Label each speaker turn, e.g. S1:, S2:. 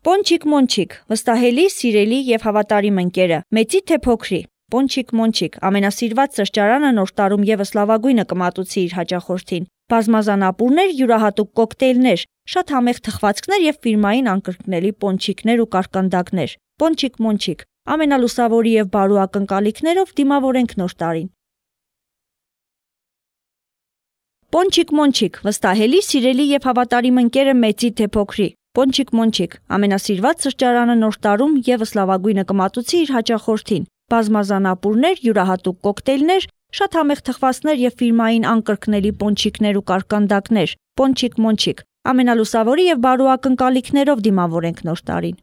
S1: Պոնչիկ Մոնչիկ, վստահելի, սիրելի եւ հավատարիմ ընկերը, մեծի թե փոքրի, Պոնչիկ Մոնչիկ, ամենասիրված սրճարանը նոր տարում եւս լավագույնը կմատուցի իր հաճախորդին, բազմազան ապուրներ, յուրահատուկ կոկտեյլներ, շատ համեղ թխվածքներ եւ ֆիրմային անկրկնելի պոնչիկներ ու կարկանդակներ, Պոնչիկ Մոնչիկ, ամենալուսավորի եւ բարու ակնկալիքներով դիմավորենք նոր տարին։ Պոնչիկ Մոնչիկ, վստահելի, սիրելի եւ հավատարիմ ընկերը մեծի թե փոքրի, Պոնչիկ Մոնչիկ, ամենասիրված սրճարանը նոր տարում եւս լավագույնը կմատուցի իր հաճախորդին, բազմազան ապուրներ, յուրահատուկ կոկտեյլներ, շատ համեղ թխվածքներ եւ ֆիրմային անկրկնելի պոնչիկներ ու կարկանդակներ, Պոնչիկ Մոնչիկ, ամենալուսավորի եւ բարու ակնկալիքներով դիմավորենք նոր տարին։